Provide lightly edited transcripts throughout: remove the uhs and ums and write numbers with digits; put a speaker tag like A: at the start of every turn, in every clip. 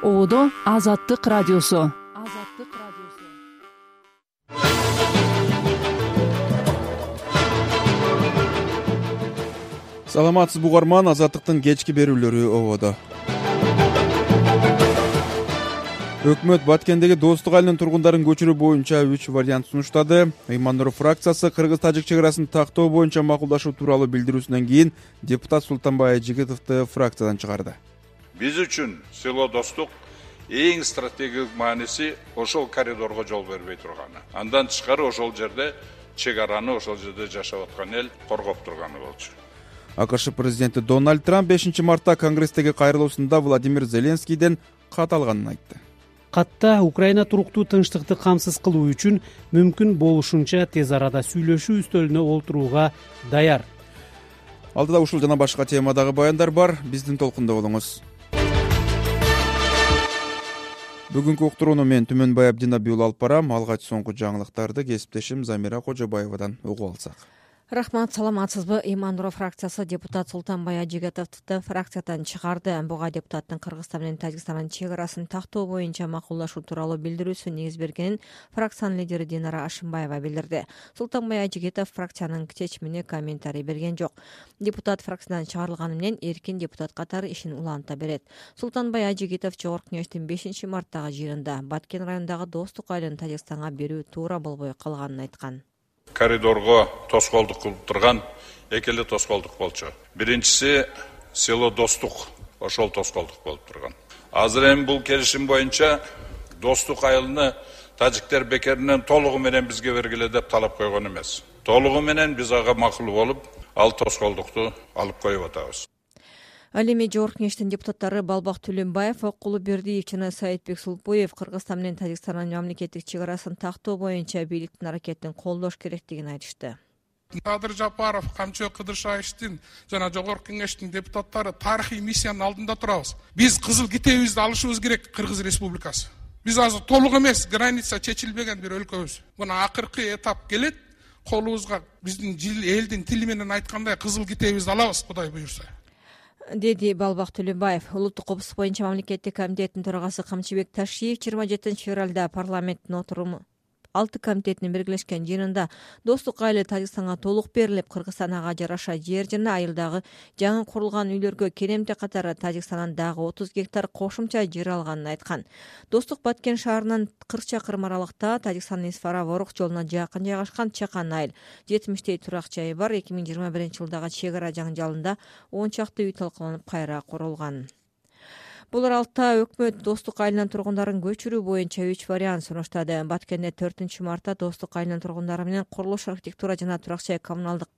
A: Одо Азаттык радиосу.
B: Саламатсызбы угарман, Азаттыктын кечки берүүлөрү ободо. Өкмөт Баткендеги Достук айылынын тургундарын көчүрүү боюнча 3 вариант сунуштады. Ыйман-Нур фракциясы Кыргыз-Тажик чек арасын тактоо боюнча макулдашуу тууралуу билдирүүсүнөн кийин депутат Султанбай Ажигитовду фракциядан чыгарды.
C: Биз үчүн село Достук эң стратегиялык мааниси ошол коридорго жол бербей турганы. Андан тышкары ошол жерде чек араны, ошол жерде жашап аткан эл коргоп турганы болчу.
B: АКШ президенти Дональд Трамп 5 мартта Конгресстеги кайрылуусунда Владимир Зеленскийден кат алганын айтты.
D: Катта Украина туруктуу тынчтыкты камсыз кылуу үчүн мүмкүн болушунча тез арада сүйлөшүү үстөлүнө олтурууга даяр.
B: Алдыда ушул жана башка темадагы баяндар бар. Биздин толкунда болуңуз. Бүгүнкү уктурууну мен Түмөнбай Абдинабий уулу алып барам. Алгач соңку жаңылыктарды кесиптешим Замира Кожобаевадан угуп алсак.
E: Рахмат, саламатсызбы? Ыйман-Нур фракциясы депутат Султанбай Ажигитовду фракциядан чыгарды. Буга депутаттын Кыргызстан менен Тажикстандын чек арасын тактоо боюнча макулдашуу тууралуу билдирүүсү негиз бергенин фракциянын лидери Динара Ашимбаева билдирди. Султанбай Ажигитов фракциянын чечимине комментарий берген жок. Депутат фракциядан чыгарылганы менен эркин депутат катары ишин уланта берет. Султанбай Ажигитов Жогорку кеңештин 5 марттагы жыйынында Баткен районундагы Достук айылын Тажикстанга берүү туура болбой калганын айткан.
C: Коридорго тоскоолдук кылып турган эки эле тоскоолдук болчу. Биринчиси село Достук, ошол тоскоолдук болуп турган. Азыр эми бул келишим боюнча Достук айылыны тажиктер бекеринен толугу менен бизге бергиле деп талап койгон эмес. Толугу менен биз ага макул болуп, ал тоскоолдукту алып коюп атабыз.
E: Ал эми Жогорку кеңештин депутаттары Балбак Түлөнбаев, Окулу Бердиев жана Саитбек Сулпуев Кыргызстан менен Тажикстандын мамлекеттик чек арасын тактоо боюнча бийликтин аракетин колдош керектигин айтышты.
F: Кадыр Жапаров, Камчыбек Кыдыршаевдин жана Жогорку кеңештин депутаттары тарыхый миссиянын алдында турабыз. Биз кызыл китебибизди алышыбыз керек Кыргыз Республикасы. Биз азыр толук эмес, граница чечилбеген бир өлкөбүз. Мына акыркы этап келет, колубузга биздин элдин тили менен айткандай кызыл китебибизди алабыз, Кудай буйрса,
E: деди Балбак Түлөнбаев. Улуттук коопсуздук боюнча мамлекеттик комитеттин төрагасы Камчыбек Ташиев 27 февралда парламенттин отуруму 6 комитетинин биргелешкен жыйынында Достук айылы Тажикстанга толук берилип, Кыргызстан ага жараша жер жана айылдагы жаңы курулган үйлөргө керемте катары Тажикстандан дагы 30 гектар кошумча жер алганын айткан. Достук Баткен шаарынан 40 чакырым аралыкта Тажикстандын Исфара-Ворук жолуна жакын жайгашкан чакан айыл. 70 турак жайы бар. 2021 жылдагы чек ара жаңжалында 10 чакты үй талкаланып кайра курулган. Бул аралыкта өкмөт Достук айылынын тургундарын көчүрүү боюнча 3 вариант сунуштады. Баткенде 4 мартта Достук айылынын тургундары менен курулуш, архитектура жана турак жай коммуналдык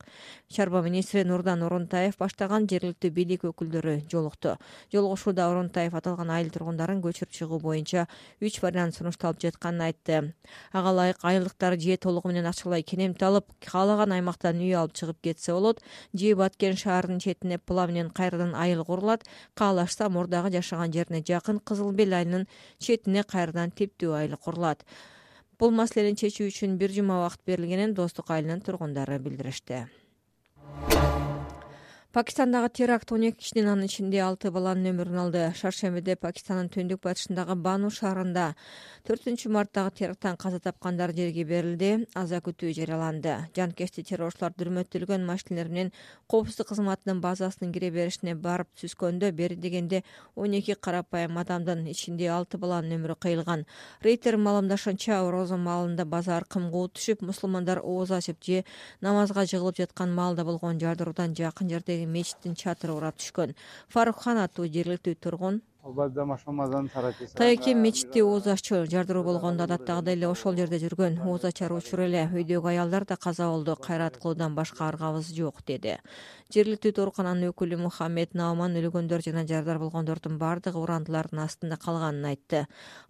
E: чарба министри Нурдан Орунтаев баштаган жергиликтүү бийлик өкүлдөрү жолукту. Жолугушууда Орунтаев аталган айыл тургундарын көчүрүп чыгуу боюнча 3 вариант сунушталып жатканын айтты. Ага ылайык айылдыктар же толугу менен акчалай керемте алып, каалаган аймактан үй алып чыгып кетсе болот, же Баткен шаарынын четине пыла менен кайрадан айыл курулат, каалашса мурдагы жашаган жерине жакын Кызыл Бел айылынын четине кайрадан типтүү айыл курулат. Бул маселени чечүү үчүн 1 жума убакыт берилгенин Достук айылынын тургундары билдиришти. Пакистандагы теракт 12 кишинин, анын ичинде 6 баланын өмүрүн алды. Шаршембиде Пакистандын түндүк батышындагы Бану шаарында 4 марттагы теракттан каза тапкандар жерге берилди. Аза күтүү жарыяланды. Жанкечти террорчулар дүрмөттөлгөн машинелер менен коопсуздук кызматынын базасынын кире беришине барып түскөндө бери дегенде 12 карапайым адамдын ичинде 6 баланын өмүрү кыйылган. Рейтер маалымдашынча, орозо маалында базар кымгуу түшүп, мусулмандар ооз ачып же намазга жыгылып жаткан маалда болгон жардыруудан жакын жердеги мечиттин чатыры урап түшкөн. Фарукхан аттуу жергиликтүү тургун Тайеке мечитти ооз аччу жардыруу болгондо адаттагыдай эле ошол жерде жүргөн. Ооз ачар учур эле үйдөгү аялдар да каза болду. Кайрат кылуудан башка аргабыз жок, деди. Жергиликтүү оорукананын өкүлү Мухаммед Науман өлгөндөр жана жардар болгондордун бардыгы урандылардын астында калганын айтты.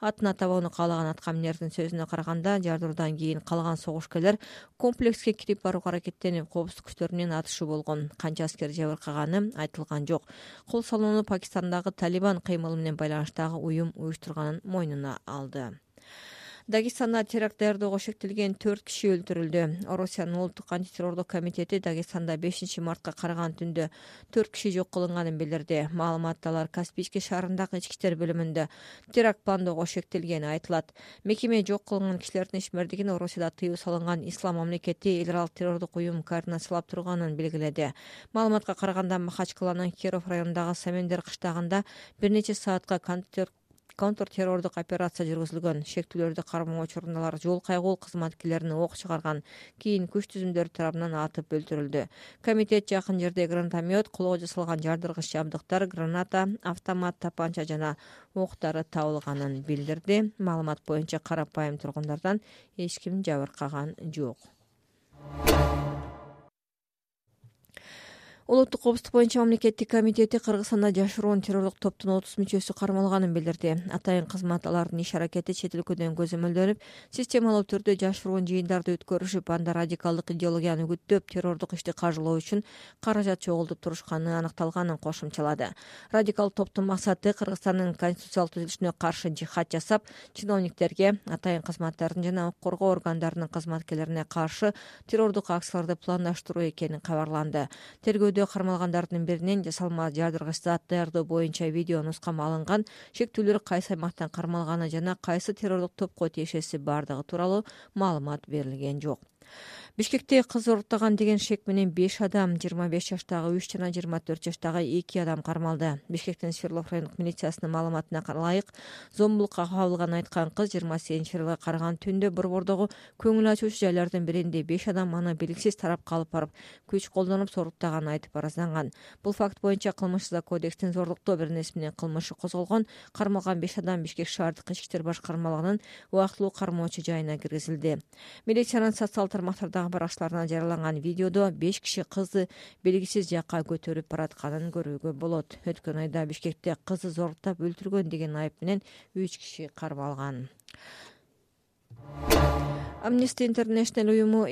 E: Атына табууну каалаган аткаминердин сөзүнө караганда, жардыруудан кийин калган согушкерлер комплекске кирип барууга аракеттенип, коопсуздук күчтөрү менен атышуу болгон. Канча аскер жабыркаганы айтылган жок. Кол салууну Пакистандагы Талибан кыймылы менен байланыштагы уюм уюштурганын мойнуна алды. Дагестанда теракт даярдоого шектелген 4 киши өлтүрүлдү. Орусиянын улуттук антитеррорлук комитети Дагестанда 5-мартка караган түндө 4 киши жок кылынганын билдирди. Маалыматта алар Каспийский шаарындагы ички иштер бөлүмүндө теракт пландоого шектелгени айтылат. Мекеме жок кылынган кишилердин ишмердигин Орусияда тыюу салынган Ислам мамлекети эл аралык террордук уюм координациялап турганын белгиледи. Маалыматка караганда Махачкаланын Киров районундагы Самендер кыштагында бир нече саатка контртеррордук операция жүргүзүлгөн. Шектүүлөрдү кармоо учурунда алар жол кайгул кызматкерлерине ок чыгарган. Кийин күч түзүмдөрү тарабынан атып өлтүрүлдү. Комитет жакын жерде гранатомет, колго жасалган жардыргыч жабдыктар, граната, автомат, тапанча жана октары табылганын билдирди. Маалымат боюнча карапайым тургундардан эч ким жабыркаган жок. Улуттук коопсуздук боюнча мамлекеттик комитети Кыргызстанда жашыруун террордук топтун 30 мүчөсү кармалганын билдирди. Атайын кызмат алардын иш аракети чет өлкөдөн көзөмөлдөнүп, системалуу түрдө жашыруун жыйындарды өткөрүшүп, анда радикалдык идеологияны үгүттөп, террордук ишти каржылоо үчүн каражат чогултуп турушканы аныкталганын кошумчалады. Радикалдык топтун максаты Кыргызстандын конституциялык түзүлүшүнө каршы жихад жасап, чиновниктерге, атайын кызматтардын жана укук коргоо органдарынын кызматкерлерине каршы террордук акцияларды пландаштыруу экени кабарланды. Тергөөдө кармалгандардын биринен жасалма жардыргыч зат даярдоо боюнча видео нускама алынган, шектүүлөр кайсы аймактан кармалганы жана кайсы террордук топко тиешеси бардыгы тууралуу маалымат берилген жок. Бишкекте кыз уруктаган деген шек менен 5 адам, 25 жаштагы 3 жана 24 жаштагы 2 адам кармалды. Бишкектин Свердлов райондук милициясынын маалыматына ылайык, зомбулукка кабылганын айткан кыз 28-февралга караган түндө Борбордогу көңүл ачуучу жайлардын биринде 5 адам аны белгисиз тарапка алып барып, күч колдонуп соруктаганын айтып арызданган. Бул факт боюнча кылмыш кодекстин зорлуктоо беренеси менен кылмышы козголгон. Кармалган 5 адам Бишкек шаардык ички иштер башкармалыгынын убактылуу кармоочу жайына киргизилди. Милициянын социалдык тармактардагы баракчаларына жарыяланган видеодо 5 киши кызды белгисиз жакка көтөрүп баратканын көрүүгө болот. Өткөн айда Бишкекте кызды зорлуктап өлтүргөн деген айып менен 3 киши кармалган. Amnesty International уюму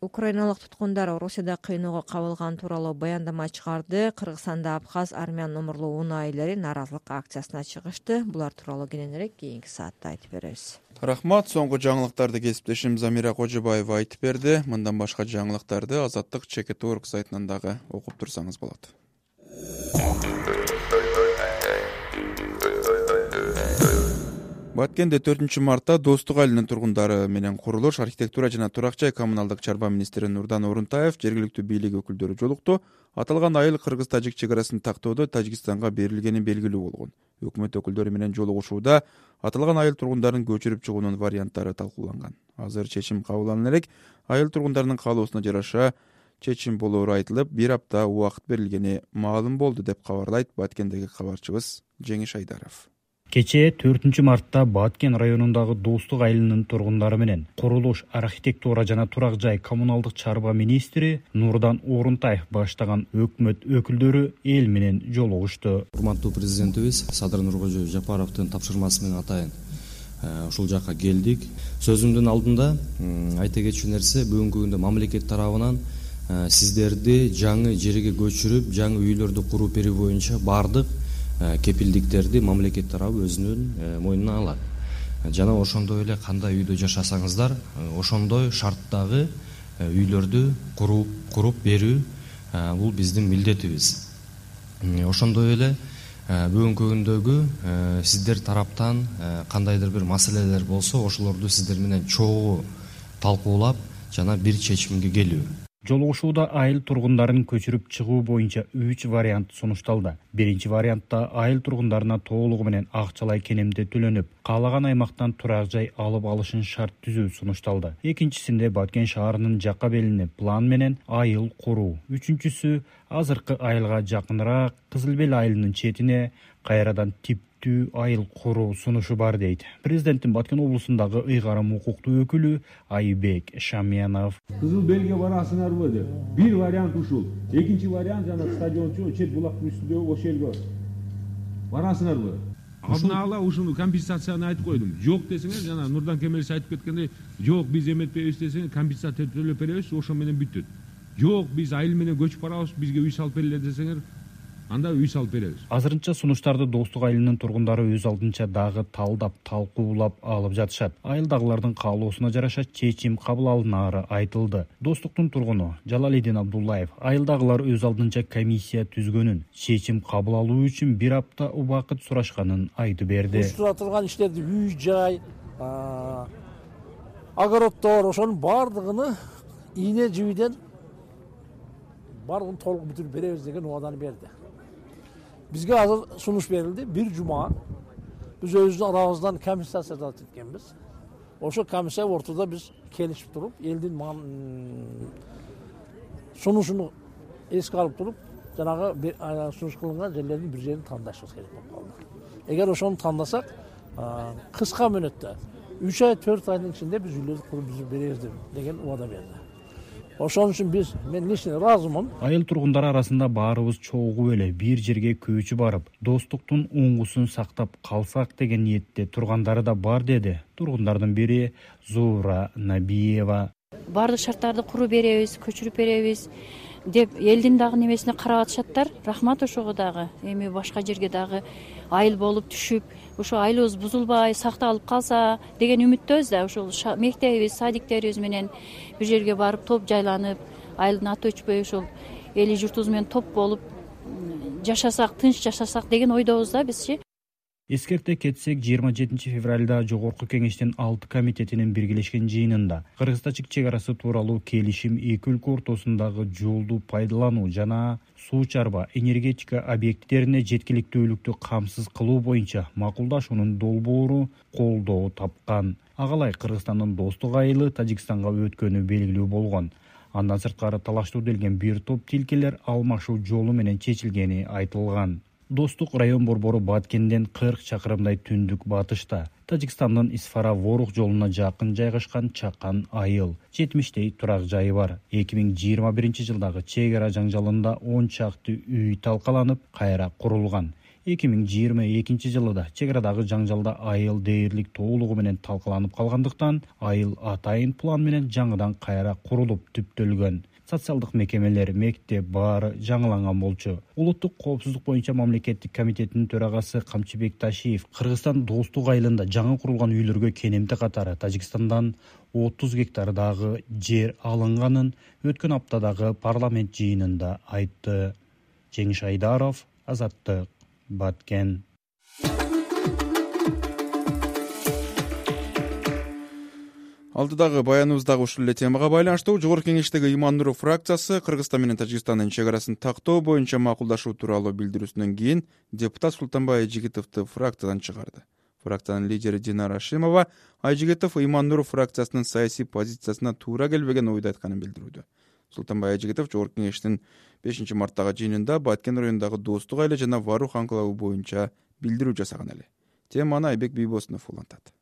E: украиналык туткундар Орусияда кыйноого кабылган тууралуу баяндама чыгарды. Кыргызстанда Абхаз армян номурлуу унаа ээлери нааразылык акциясына чыгышты. Булар тууралуу кененирээк кийинки саатта айтып беребиз.
B: Рахмат. Соңку жаңылыктарды кесиптешим Замира Кожобаева айтып берди. Мындан башка жаңылыктарды Азаттык ЧКТ.орг сайтынан дагы окуп турсаңыз болот. Баткенде 4-мартта Достук айылынын тургундары менен курулуш, архитектура жана турак жай коммуналдык чарба министри Нурдан Орунтаев жергиликтүү бийлик өкүлдөрү жолукту. Аталган айыл кыргыз-тажик чек арасын тактоодо Тажикстанга берилгени белгилүү болгон. Өкмөт өкүлдөрү менен жолугушууда аталган айыл тургундарын көчүрүп чыгуунун варианттары талкууланган. Азыр чечим кабыл элек, айыл тургундарынын каалоосуна жараша чечим болоору айтылып, 1 апта убакыт берилгени маалым болду деп кабарлайт Баткендеги кабарчыбыз Жеңиш Айдаров.
G: Кечээ 4-мартта Баткен районундагы Достук айылынын тургундары менен курулуш, архитектура жана турак жай коммуналдык чарба министри Нурдан Орунтаев баштаган өкмөт өкүлдөрү эл менен жолугушту.
H: Урматтуу президентибиз Садыр Нуркожо Жапаровдун тапшырмасы менен атайын ушул жакка келдик. Сөзүмдүн алдында айта кетчү нерсе, бүгүнкү күндө мамлекет тарабынан сиздерди жаңы жерге көчүрүп, жаңы үйлөрдү куруп берүү боюнча бардык кепилдиктерди мамлекет тарабы өзүнүн мойнуна алат. Жана ошондой эле кандай үйдө жашасаңыздар, ошондой шарттагы үйлөрдү куруп берүү бул биздин милдетибиз. Ошондой эле бүгүнкү күндөгү сиздер тараптан кандайдыр бир маселелер болсо, ошолорду сиздер менен чогуу талкуулап жана бир чечимге келүү.
G: Жолугушууда айыл тургундарын көчүрүп чыгуу боюнча 3 вариант сунушталды. Биринчи вариантта айыл тургундарына толугу менен акчалай кенемде төлөнүп, каалаган аймактан турак жай алып алышын шарт түзүү сунушталды. Экинчисинде Баткен шаарынын жакка белине план менен айыл куруу. Үчүнчүсү азыркы айылга жакыныраак Кызыл Бел айылынын четине кайрадан типтүү айыл куруу сунушу бар дейт президенттин Баткен облусундагы ыйгарым укуктуу өкүлү Айбек Шамянов.
I: Кызыл Белге барасыңарбы деп. Бир вариант ушул. Экинчи вариант жана стадиончу чет булактын үстүндөгү ошол жерге барасыңарбы? Алдын ала ушуну компенсацияны айтып койдум. Жок десеңер, жана Нурдан Кемелович айтып кеткендей, жок биз эметпейбиз десеңер, компенсация төлөп беребиз, ошо менен бүттүт. Жок биз айыл менен көчүп барабыз, бизге үй салып берилет десеңер, анда үй салып беребиз.
G: Азырынча сунуштарды Достук айылынын тургундары өз алдынча дагы талдап, талкуулап алып жатышат. Айылдагылардын каалоосуна жараша чечим кабыл алынары айтылды. Достуктун тургуну Жалалидин Абдуллаев айылдагылар өз алдынча комиссия түзгөнүн, чечим кабыл алуу үчүн 1 апта убакыт сурашканын айтып берди.
J: Уштура турган иштерди үй жай, огороддор ошонун баардыгын ийне жибиден баардыгын толук бүтүрүп беребиз деген убаданы берди. Бизге азыр сунуш берилди. 1 жума биз өзүбүздүн арабыздан комиссия созулат эткенбиз. Ошо комиссия ортодо биз келишип туруп, элдин сунушун эске алып туруп, жанагы сунуш кылынган жерлердин бир жерин тандашыбыз керек болуп калды. Эгер ошону тандасак, кыска мөөнөттө 3 ай 4 айдын ичинде биз үйлөрдү куруп бүтүрүп беребиз деген убада берди. Ошон үчүн мен лично ыраазымын.
G: Айыл тургундары арасында баарыбыз чогуу эле бир жерге көчүп барып, достуктун оңгусун сактап калсак деген ниетте тургандары да бар деди. Тургундардын бири Зуура Набиева.
K: Бардык шарттарды куруп беребиз, көчүрүп беребиз деп элдин дагы немесине карап атышаттар. Рахмат ошого дагы. Эми башка жерге дагы айыл болуп түшүп, ошо айылыбыз бузулбай, сакталып калса деген үмүттөбүз да. Ошол мектебибиз, садиктерибиз менен бир жерге барып топ жайланып, айылдын аты өчпөй ошол эли журтубуз менен топ болуп жашасак, тынч жашасак деген ойдобуз да бизчи.
G: Эскерте кетсек, 27 февралда Жогорку Кеңештин 6 комитетинин биргелешкен жыйынында Кыргыз-Тажик чек арасы тууралуу келишим эки өлкө ортосундагы жолду пайдалануу жана суу чарба энергетика объекттерине жеткиликтүүлүктү камсыз кылуу боюнча макулдашуунун долбоору колдоо тапкан. Агалай Кыргызстандын Достук айылы Тажикстанга өткөнү белгилүү болгон. Андан сырткары талаштуу делген бир топ тилкелер алмашуу жолу менен чечилгени айтылган. Достук район борбору Баткенден 40 чакырымдай түндүк батышта, Тажикстандын Исфара-Ворух жолуна жакын жайгашкан чакан айыл. 70 турак жайы бар. 2021 жылдагы чек ара жаңжалында 10 чакты үй талкаланып, кайра курулган. 2022 жылы да чек арадагы жаңжалда айыл дээрлик толугу менен талкаланып калгандыктан, айыл атайын план менен жаңыдан кайра курулуп түптөлгөн. Социалдык мекемелер, мектеп баары жаңыланган болчу. Улуттук коопсуздук боюнча мамлекеттик комитетинин төрагасы Камчыбек Ташиев Кыргызстан Достук айылында жаңы курулган үйлөргө кенемти катары Тажикстандан 30 гектардагы жер алынганын өткөн аптадагы парламент жыйынында айтты. Жеңиш Айдаров, Азаттык, Баткен.
B: Алдыдагы баяныбыздагы ушул эле темага байланыштуу Жогорку Кеңештеги Иман Нуров фракциясы Кыргызстан менен Тажикстандын чек арасын тактоо боюнча макулдашуу тууралуу билдирүүсүнөн кийин депутат Султанбай Айжигитовду фракциядан чыгарды. Фракциянын лидери Динара Ашимова Айжигитов Иман Нуров фракциясынын саясий позициясына туура келбеген ойду айтканын билдирүүдө. Султанбай Айжигитов Жогорку Кеңештин 5 марттагы жыйынында Баткен районундагы Достук айылы жана Варух анклавы боюнча билдирүү жасаган эле. Теманы Айбек Бийбосунов улантат.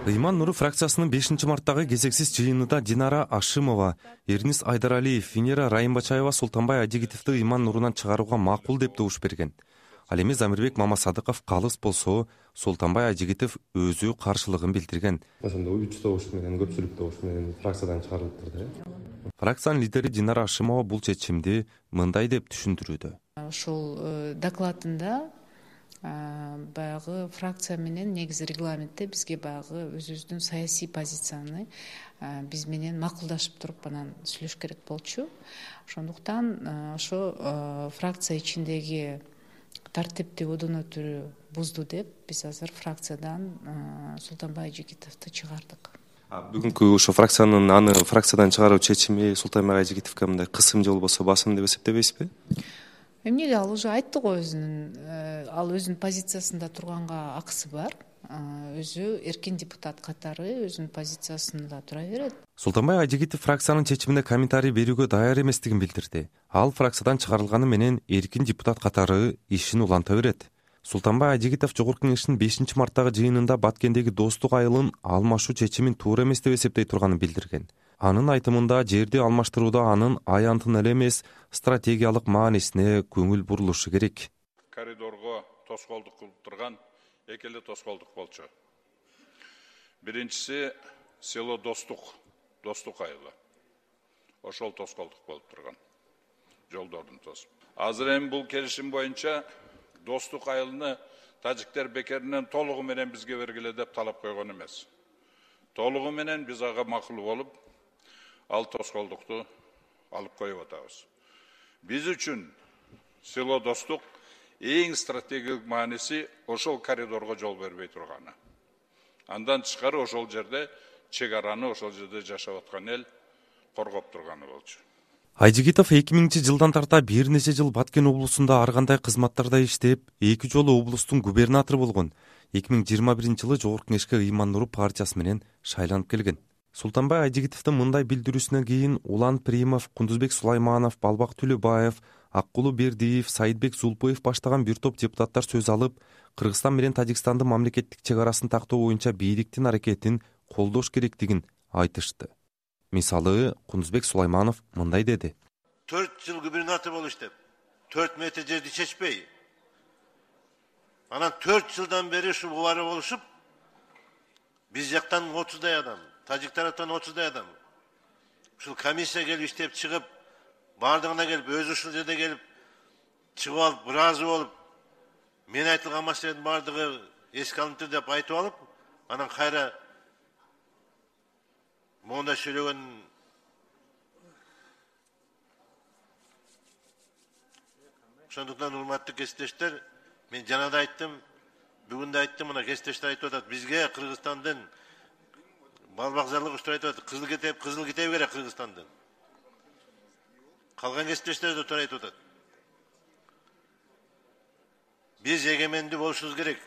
L: Иман Нуров фракциясынын 5 марттагы кезексиз жыйынында Динара Ашимова, Эрнис Айдаралиев, Венера Райымбачаева Султанбай Айжигитовду Иман Нурунан чыгарууга макул деп добуш берген. Ал эми Замирбек Мамасадыков калыс болсо, Султанбай Айжигитов өзү каршылыгын билдирген.
M: Ошондо 3 добуш менен, көпчүлүк добуш менен фракциядан чыгарылып турду.
L: Фракциянын лидери Динара Ашимова бул чечимди мындай деп түшүндүрүүдө.
N: Ошол докладында баягы фракция менен негизи регламентте бизге баягы өзүбүздүн саясий позицияны биз менен макулдашып туруп анан сүйлөш керек болчу. Ошондуктан ошо фракция ичиндеги тартипти одон өтүрүү бузду деп биз азыр фракциядан Султанбай Айжигитовду чыгардык.
M: Бүгүнкү ошо фракциянын аны фракциядан чыгаруу чечими Султанбай Айжигитовго мындай кысым же болбосо басым деп эсептебейсизби?
N: Эмнеге ал уже айтты го ал өзүнүн позициясында турганга акысы бар. Өзү эркин депутат катары өзүнүн позициясында тура берет.
L: Султанбай Айжигитов фракциянын чечимине комментарий берүүгө даяр эместигин билдирди. Ал фракциядан чыгарылганы менен эркин депутат катары ишин уланта берет. Султанбай Айжигитов Жогорку Кеңештин 5 марттагы жыйынында Баткендеги Достук айылын алмашуу чечимин туура эмес деп эсептей турганын билдирген. Анын айтымында жерди алмаштырууда анын аянтын эле эмес, стратегиялык маанисине көңүл бурулушу керек.
C: Коридорго тоскоолдук кылып турган эки эле тоскоолдук болчу. Биринчиси село Достук айылы. Ошол тоскоолдук болуп турган. Жолдордун тосуп. Азыр эми бул келишим боюнча достук айылыны тажиктер бекеринен толугу менен бизге бергиле деп талап койгон эмес. Толугу менен биз ага макул болуп, ал тоскоолдукту алып коюп атабыз. Биз үчүн село достук эң стратегиялык мааниси ошол коридорго жол бербей турганы. Андан тышкары ошол жерде чек араны, ошол жерде жашап аткан эл коргоп турганы болчу.
L: Айжигитов 2000-жылдан тарта бир нече жыл Баткен облусунда ар кандай кызматтарда иштеп, 2 жолу облустун губернатору болгон. 2021-жылы Жогорку Кеңешке Ыйман Нуруп партиясы менен шайланып келген. Султанбай Айжигитовдун мындай билдирүүсүнөн кийин Улан Примов, Кундузбек Сулайманов, Балбак Түлөбаев, Аккулу Бердиев, Саидбек Зулпоев баштаган бир топ депутаттар сөз алып, Кыргызстан менен Тажикстандын мамлекеттик чек арасын тактоо боюнча бийликтин аракетин колдош керектигин айтышты. Мисалы, Кундузбек Сулайманов мындай деди.
O: 4 жыл губернатор болуп иштеп, 4 метр жерди чечпей, анан 4 жылдан бери ушу бубары болушуп, биз жактан 30дай адам, тажик тараптан 30дай адам. Ушул комиссия келип иштеп чыгып, бардыгына келип, өзү ушул жерде келип чыгып алып, ыраазы болуп, мен айтылган маселенин бардыгы эске алынды деп айтып алып, анан кайра монда сүйлөгөн ошондуктан урматтуу кесиптештер, мен жана да айттым, бүгүн да айттым, мына кесиптештер айтып атат, бизге Кыргызстандын балбакзарлык уштур айтып атат, кызыл китеби керек Кыргызстандын. Калган кесиптештер да туура айтып атат. Биз эгемендүү болушубуз керек.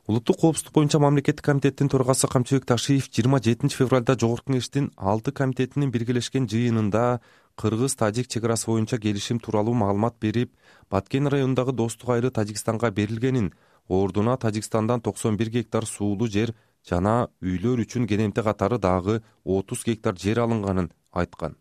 L: Улуттук коопсуздук боюнча мамлекеттик комитеттин төрагасы Камчыбек Ташиев 27 февралда Жогорку Кеңештин 6 комитетинин биргелешкен жыйынында Кыргыз-Тажик чек арасы боюнча келишим тууралуу маалымат берип, Баткен районундагы достук айылы Тажикстанга берилгенин, ордуна Тажикстандан 91 гектар суулуу жер жана үйлөр үчүн кенемте катары дагы 30 гектар жер алынганын айткан.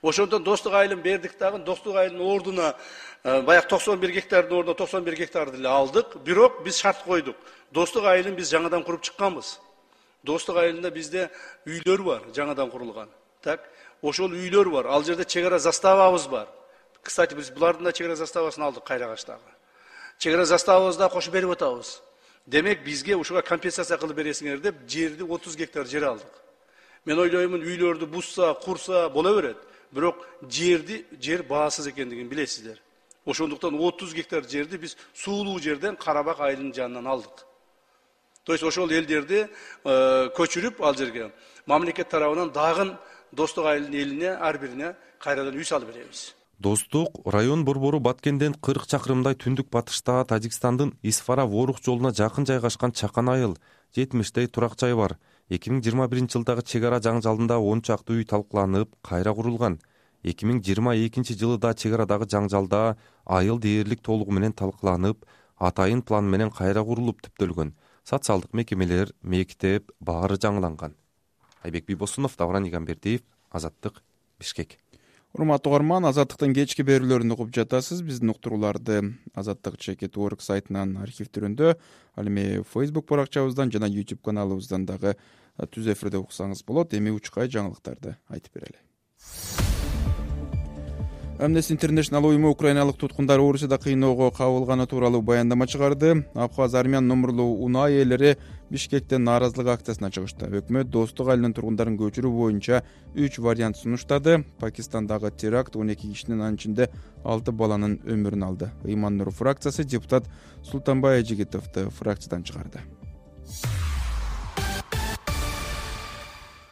P: Ошондон достук айылын бердик дагы, достук айылдын ордуна баягы 91 гектардын ордуна 91 гектарды эле алдык. Бирок биз шарт койдук. Достук айылын биз жаңадан куруп чыкканбыз. Достук айылында бизде үйлөр бар, жаңадан курулган. Так, ошол үйлөр бар. Ал жерде чек ара заставабыз бар. Кстати, биз булардын да чек ара заставасын алдык Кайрагачтагы. Чек ара заставабызды да кошуп берип атабыз. Демек бизге ушуга компенсация кылып бересиңер деп жерди 30 гектар жер алдык. Мен ойлоймун, үйлөрдү бузса, курса боло берет. Бирок жер баасыз экендигин билесиздер. Ошондуктан 30 гектар жерди биз суулуу жерден Карабак айылынын жанынан алдык. То есть ошол элдерди көчүрүп ал жерге мамлекет тарабынан дагы достук айылдын элине ар бирине кайрадан үй салып беребиз.
L: Достук район борбору Баткенден 40 чакырымдай түндүк батышта Тажикстандын Исфара-Ворух жолуна жакын жайгашкан чакан айыл, 70тэй турак жай бар. 2021-жылдагы чек ара жаңжалында 10 чакты үй талкууланып, кайра курулган. 2022 жылы да чек арадагы жаңжалда айыл дээрлик толугу менен талкууланып, атайын план менен кайра курулуп түптөлгөн. Социалдык мекемелер, мектеп баары жаңыланган. Айбек Бибосунов, Давран Игамбердиев, Азаттык, Бишкек.
B: Урматтуу угарман, Азаттыктын кечки берүүлөрүн угуп жатасыз. Биздин уктурууларды azattik.org сайтынан архивдөрүндө, ал эми Facebook баракчабыздан жана YouTube каналыбыздан дагы түз эфирде уксаңыз болот. Эми учкай жаңылыктарды айтып берели. Amnesty International уюму украиналык туткундар Орусияда кыйноого кабылганы тууралуу баяндама чыгарды. Абхаз армян номурлуу унаа ээлери Бишкектен нааразылык акциясына чыгышты. Өкмөт достук айылынын тургундарын көчүрүү боюнча 3 вариант сунуштады. Пакистандагы теракт 12 кишинин, анын ичинде 6 баланын өмүрүн алды. Ыйман Нуруп фракциясы депутат Султанбай Айжигитовду фракциядан чыгарды.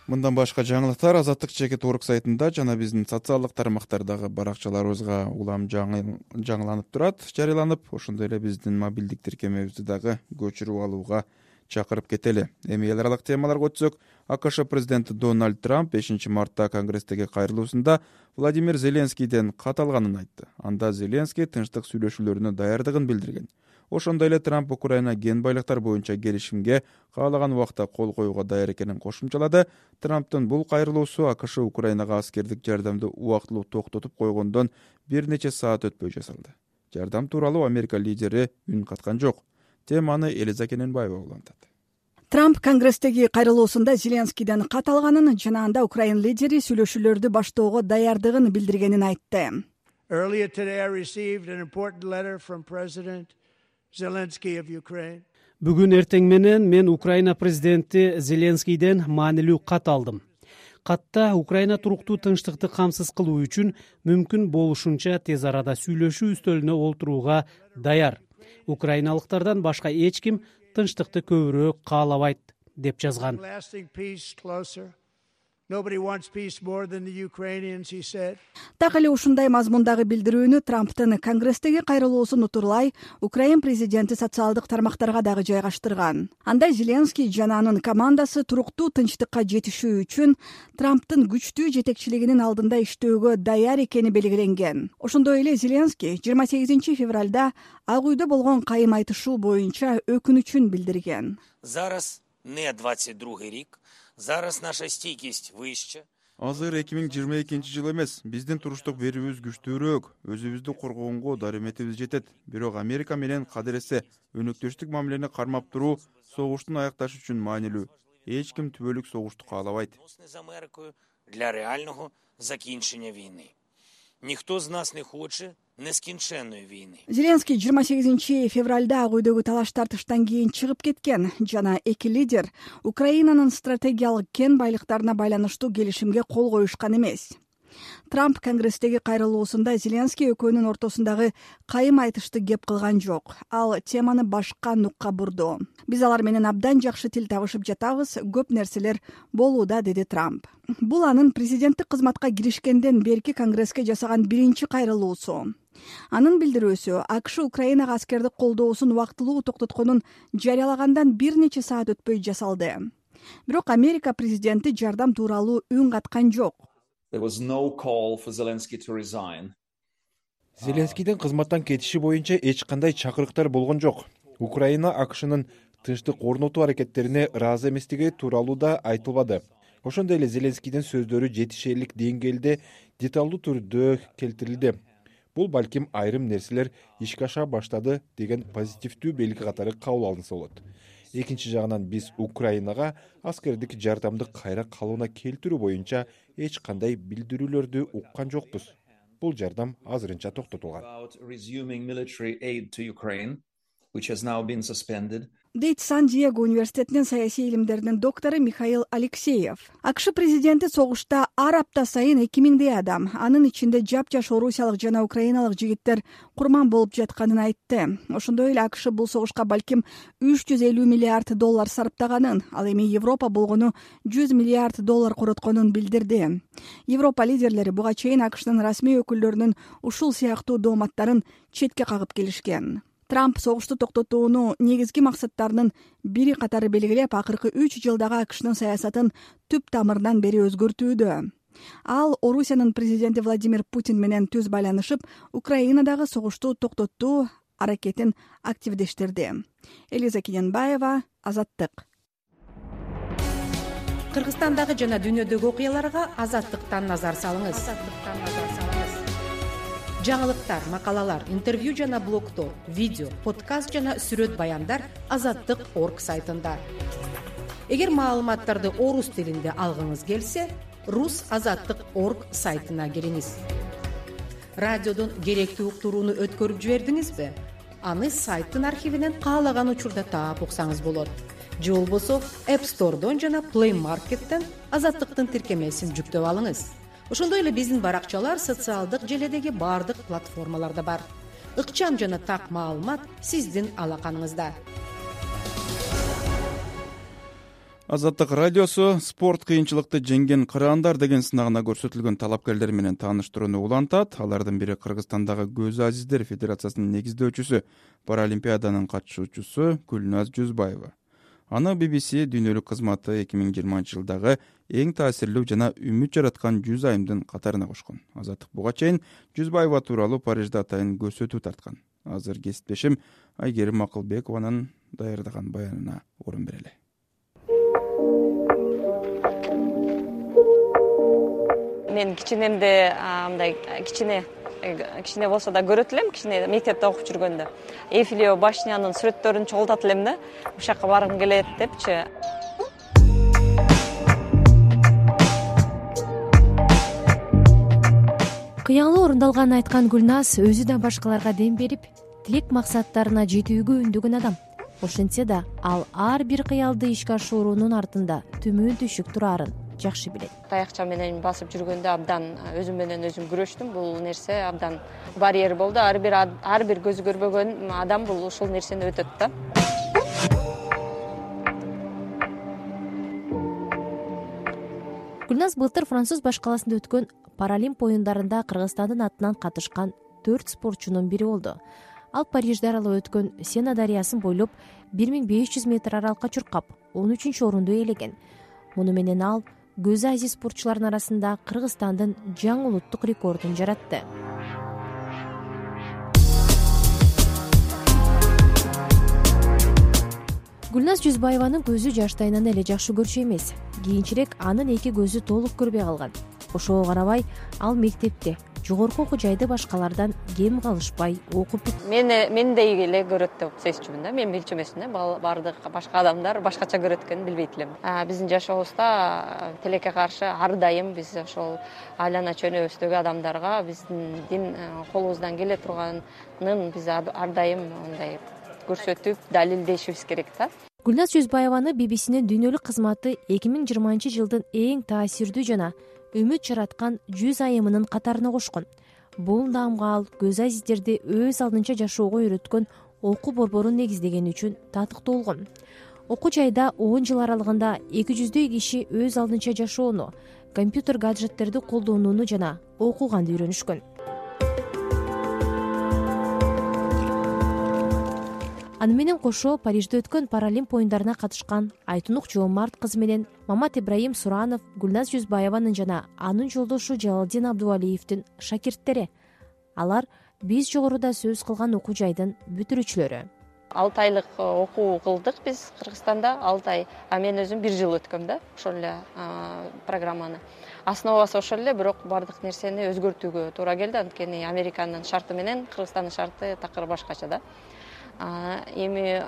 B: Мындан башка жаңылыктар azattik.org сайтында жана биздин социалдык тармактардагы баракчаларыбызга улам жаңыланып турат, жарыяланып. Ошондой эле биздин мобилдик тиркемебизди дагы көчүрүп алууга чакырып кетели. Эми эл аралык темаларга өтсөк, АКШ президенти Дональд Трамп 5 мартта Конгресстеги кайрылуусунда Владимир Зеленскийден кат алганын айтты. Анда Зеленский тынчтык сүйлөшүүлөрүнө даярдыгын билдирген. Ошондой эле Трамп Украина кен байлыктар боюнча келишимге каалаган убакта кол коюуга даяр экенин кошумчалады. Трамптын бул кайрылуусу АКШ Украинага аскердик жардамды убактылуу токтотуп койгондон бир нече саат өтпөй жасалды. Жардам тууралуу Америка лидери үн каткан жок. Теманы Элиза Кененбаева улантат.
Q: Трамп Конгресстеги кайрылуусунда Зеленскийден кат алганын жана анда Украин лидери сүйлөшүүлөрдү баштоого даярдыгын билдиргенин айтты.
R: Earlier today, I received an important letter from President Zelensky of Ukraine.
D: Бүгүн эртең менен мен Украина президенти Зеленскийден маанилүү кат алдым. Катта Украина туруктуу тынчтыкты камсыз кылуу үчүн мүмкүн болушунча тез арада сүйлөшүү үстөлүнө олтурууга даяр. Украиналыктардан башка эч ким тынчтыкты көбүрөөк каалабайт, деп жазган.
Q: Так эле ушундай мазмундагы билдирүүнү Трамптын Конгресстеги кайрылуусун утурлай Украин президенти социалдык тармактарга дагы жайгаштырган. Анда Зеленский жана анын командасы туруктуу тынчтыкка жетишүү үчүн Трамптын күчтүү жетекчилигинин алдында иштөөгө даяр экени белгиленген. Ошондой эле Зеленский 28 февралда Ак үйдө болгон кайым айтышуу боюнча өкүнүчүн билдирген.
S: Зараз не 22 рік. Зараз наша стійкість вища.
B: Азыр 2022 жыл эмес, биздин туруштук берүүбүз күчтүүрөөк, өзүбүздү коргогонго дарыметибиз жетет. Бирок Америка менен кадыресе өнөктөштүк мамилени кармап туруу согуштун аякташы үчүн маанилүү. Эч ким түбөлүк согушту каалабайт.
S: З Америкою для реального закінчення війни. Ніхто з нас не хоче нескінченної війни.
Q: Зеленский 28 февралда Ак үйдөгү талаш тартыштан кийин чыгып кеткен жана эки лидер Украинанын стратегиялык кен байлыктарына байланыштуу келишимге кол коюшкан эмес. Трамп Конгресстеги кайрылуусунда Зеленский экөөнүн ортосундагы кайым айтышты кеп кылган жок. Ал теманы башка нукка бурду. Биз алар менен абдан жакшы тил табышып жатабыз, көп нерселер болууда, деди Трамп. Бул анын президенттик кызматка киришкенден берки Конгресске жасаган биринчи кайрылуусу. Анын билдирүүсү АКШ Украинага аскердик колдоосун убактылуу токтотконун жарыялагандан бир нече саат өтпөй жасалды. Бирок Америка президенти жардам тууралуу үн каткан жок.
T: There was no call for Zelensky to resign.
U: Зеленскийдин кызматтан кетиши боюнча эч кандай чакырыктар болгон жок. Украина АКШнын тынчтык орнотуу аракеттерине ыраазы эместиги тууралуу да айтылбады. Ошондой эле Зеленскийдин сөздөрү жетишерлик деңгээлде деталдуу түрдө келтирилди. Бул балким айрым нерселер ишке аша баштады деген позитивдүү белги катары кабыл алынса болот. Экинчи жагынан биз Украинага аскердик жардамды кайра калыбына келтирүү боюнча эч кандай билдирүүлөрдү уккан жокпуз. Бул жардам азырынча токтотулган.
Q: Дейт Сан-Диего университетинин саясий илимдеринин доктору Михаил Алексеев. АКШ президенти согушта ар апта сайын 2000 адам, анын ичинде жапжаш орусиялык жана украиналык жигиттер курман болуп жатканын айтты. Ошондой эле АКШ бул согушка балким 350 миллиард доллар сарптаганын, ал эми Европа болгону 100 миллиард доллар коротконун билдирди. Европа лидерлери буга чейин АКШнын расмий өкүлдөрүнүн ушул сыяктуу дооматтарын четке кагып келишкен. Трамп согушту токтотууну негизги максаттарынын бири катары белгилеп, акыркы 3 жылдагы АКШнын саясатын түп тамырынан бери өзгөртүүдө. Ал Орусиянын президенти Владимир Путин менен түз байланышып, Украинадагы согушту токтотуу аракетин активдештирди. Элиза Кененбаева, Азаттык.
V: Кыргызстандагы жана дүйнөдөгү окуяларга Азаттыктан назар салыңыз. Жаңылыктар, макалалар, интервью жана блогтор, видео, подкаст жана сүрөт баяндар Азаттык.орг сайтында. Эгер маалыматтарды орус тилинде алгыңыз келсе, rusazаттык.орг сайтына кириңиз. Радиодон керектүү уктурууну өткөрүп жибердиңизби? Аны сайттын архивинен каалаган учурда таап уксаңыз болот. Же болбосо App Store'дон жана Play Market'тен Азаттыктын тиркемесин жүктөп алыңыз. Ошондой эле биздин баракчалар социалдык желедеги бардык платформаларда бар. Ыкчам жана так маалымат сиздин алаканыңызда.
B: Азаттык радиосу спорт кыйынчылыкты жеңген кыраандар деген сынагына көрсөтүлгөн талапкерлер менен тааныштырууну улантат. Алардын бири Кыргызстандагы Көз Азиздер Федерациясынын негиздөөчүсү, Паралимпиаданын катышуучусу Гүлназ Жүзбаева. Аны BBC дүйнөлүк кызматы 2020 жылдагы эң таасирлүү жана үмүт жараткан 100 айымдын катарына кошкон. Азаттык буга чейин Жүзбаева тууралуу Парижде атайын көрсөтүү тарткан. Азыр кесиптешим Айгерим Акылбекованын даярдаган баянына орун берели.
W: Мен кичинемде мындай кичине болсо да көрөт элем, кичине мектепте окуп жүргөндө. Эйфелева башнянын сүрөттөрүн чогултат элем да, ушакка баргым келет депчи.
A: кыялы орундалганын айткан Гүлназ өзү да башкаларга дем берип, тилек максаттарына жетүүгө үндөгөн адам. Ошентсе да ал ар бир кыялды ишке ашыруунун артында төмөн түшүк турарын жакшы билет.
W: Таякча менен басып жүргөндө абдан өзүм менен өзүм күрөштүм. Бул нерсе абдан барьер болду. Ар бир көзү көрбөгөн адам бул ушул нерсени өтөт да.
A: Гүлназ былтыр Француз баш каласында өткөн Паралимп оюндарында Кыргызстандын атынан катышкан 4 спортчунун бири болду. Ал Парижде аралап өткөн Сена дарыясын бойлоп 1500 метр аралыкка чуркап 13-орунду ээлеген. Муну менен ал Көз Азия спортчуларынын арасында Кыргызстандын жаңы улуттук рекордун жаратты. Гүлназ Жүзбаеванын көзү жаштайынан эле жакшы көрчү эмес. Кийинчерээк анын эки көзү толук көрбөй калган. Ошого карабай, ал мектепте, жогорку окуу жайда башкалардан кем калышпай окуп.
W: Мендей эле көрөт деп сезчүмүн да. Мен билчү эмесмин да. Бардык башка адамдар башкача көрөт экенин билбейт элем. Биздин жашообузда тилекке каршы ар дайым биз ошол айлана чөнөбүздөгү адамдарга биздин колубуздан келе турганын биз ар дайым мындай көрсөтүп, далилдешибиз керек да.
A: Гүлназ Жүзбаеваны BBC-нин дүйнөлүк кызматы 2020-жылдын эң таасирдүү жана үмүт жараткан 100 айымынын катарына кошкон. Бул наамга ал Көз Азиздерди өз алдынча жашоого үйрөткөн окуу борборун негиздегени үчүн татыктуу болгон. Окуу жайда 10 жыл аралыгында 200дөй киши өз алдынча жашоону, компьютер гаджеттерди колдонууну жана окуганды үйрөнүшкөн. Аны менен кошо Парижде өткөн Паралимп оюндарына катышкан Айтунук Жоомарт кызы менен Мамат Ибраим Суранов Гүлназ Жүзбаеванын жана анын жолдошу Жалалдин Абдувалиевдин шакирттери. Алар биз жогоруда сөз кылган окуу жайдын бүтүрүүчүлөрү.
W: 6 айлык окуу кылдык биз Кыргызстанда, 6 ай. Мен өзүм 1 жыл өткөм да, ошол эле программаны. Основасы ошол эле, бирок бардык нерсени өзгөртүүгө туура келди. Анткени Американын шарты менен Кыргызстандын шарты такыр башкача да. Эми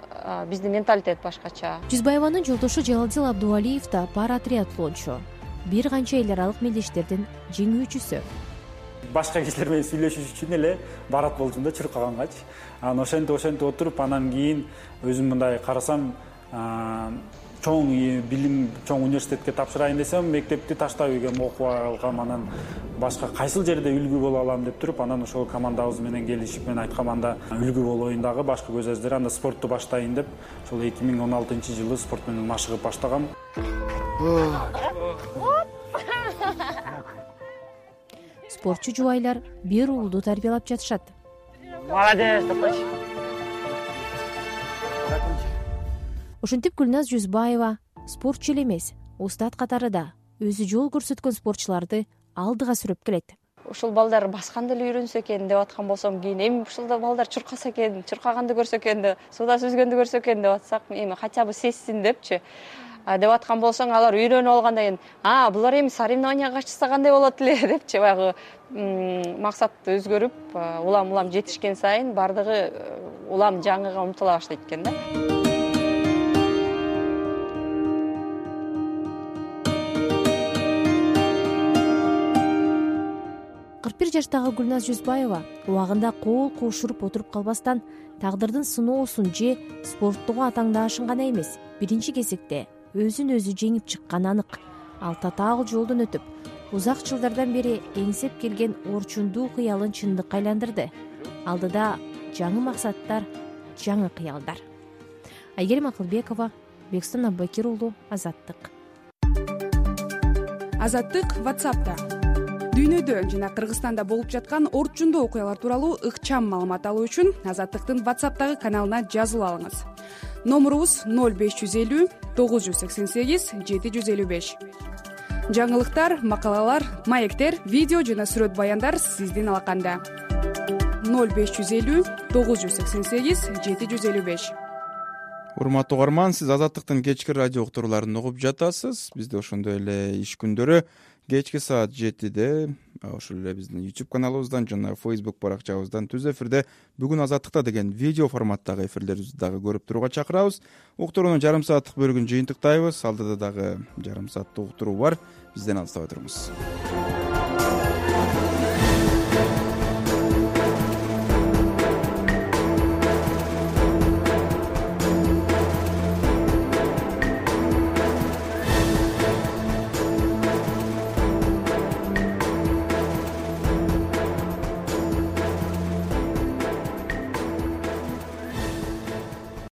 W: биздин менталитет башкача.
A: Жүзбаеванын жолдошу Жалалдин Абдувалиев да пара триатлончу. Бир канча эл аралык мелдештердин жеңүүчүсү.
E: Башка кишилер менен сүйлөшүш үчүн эле барат болчумун да чуркагангач. Ошентип отуруп анан кийин өзүм мындай карасам, чоң билим, чоң университетке тапшырайын десем, мектепти таштап ийгем, окуп алгам, анан башка кайсыл жерде үлгү боло алам деп туруп, анан ошол командабыз менен келишип, мен айткам, анда үлгү болоюн дагы башка көз азиздер, анда спортту баштайын деп, ошол 2016-жылы спорт менен машыгып баштагам.
A: Спортчу жубайлар бир уулду тарбиялап жатышат.
W: Молодец, топочи.
A: Ошентип Гүлназ Жүзбаева спортчу эле эмес, устат катарында өзү жол көрсөткөн спортчуларды алдыга сүрөп келет.
W: Ушул балдар басканды эле үйрөнсө экен деп аткан болсом, кийин эми ушул балдар чуркаса экен, чуркаганды көрсө экен, суда сүзгөндү көрсө экен деп атсак, эми хотя бы сезсин депчи. Деп аткан болсоң, алар үйрөнүп алгандан кийин, булар эми соревнованияга катышса кандай болот эле депчи, баягы максат өзгөрүп, улам жетишкен сайын бардыгы улам жаңыга умтула баштайт экен да.
A: 41 жаштагы Гүлназ Жүзбаева убагында кол кошуруп отуруп калбастан, тагдырдын сыноосун же спорттогу атаңдаашын гана эмес, биринчи кезекте өзүн өзү жеңип чыкканы анык. Ал татаал жолдон өтүп, узак жылдардан бери эңсеп келген орчундуу кыялын чындыкка айландырды. Алдыда жаңы максаттар, жаңы кыялдар. Айгерим Акылбекова, Бекстон Аббакир уулу, Азаттык.
F: Азаттык WhatsApp'та. Дүйнөдө жана Кыргызстанда болуп жаткан орчундуу окуялар тууралуу ыкчам маалымат алуу үчүн Азаттыктын WhatsApp'тагы каналына жазылып алыңыз. Номурубуз 0550 988 755. Жаңылыктар, макалалар, маектер, видео жана сүрөт баяндар сиздин алаканда. 0550 988 755.
B: Урматтуу угарман, сиз Азаттыктын кечки радио уктурууларын угуп жатасыз. Бизде ошондой эле иш күндөрү кечки саат 7-де ошол эле биздин YouTube каналыбыздан жана Facebook баракчабыздан түз эфирде бүгүн Азаттыкта деген видео форматтагы эфирлерибизди дагы көрүп турууга чакырабыз. Уктуруунун жарым сааттык бөлүгүн жыйынтыктайбыз. Алдыда дагы жарым сааттык уктуруу бар. Бизден алыстабай туруңуз.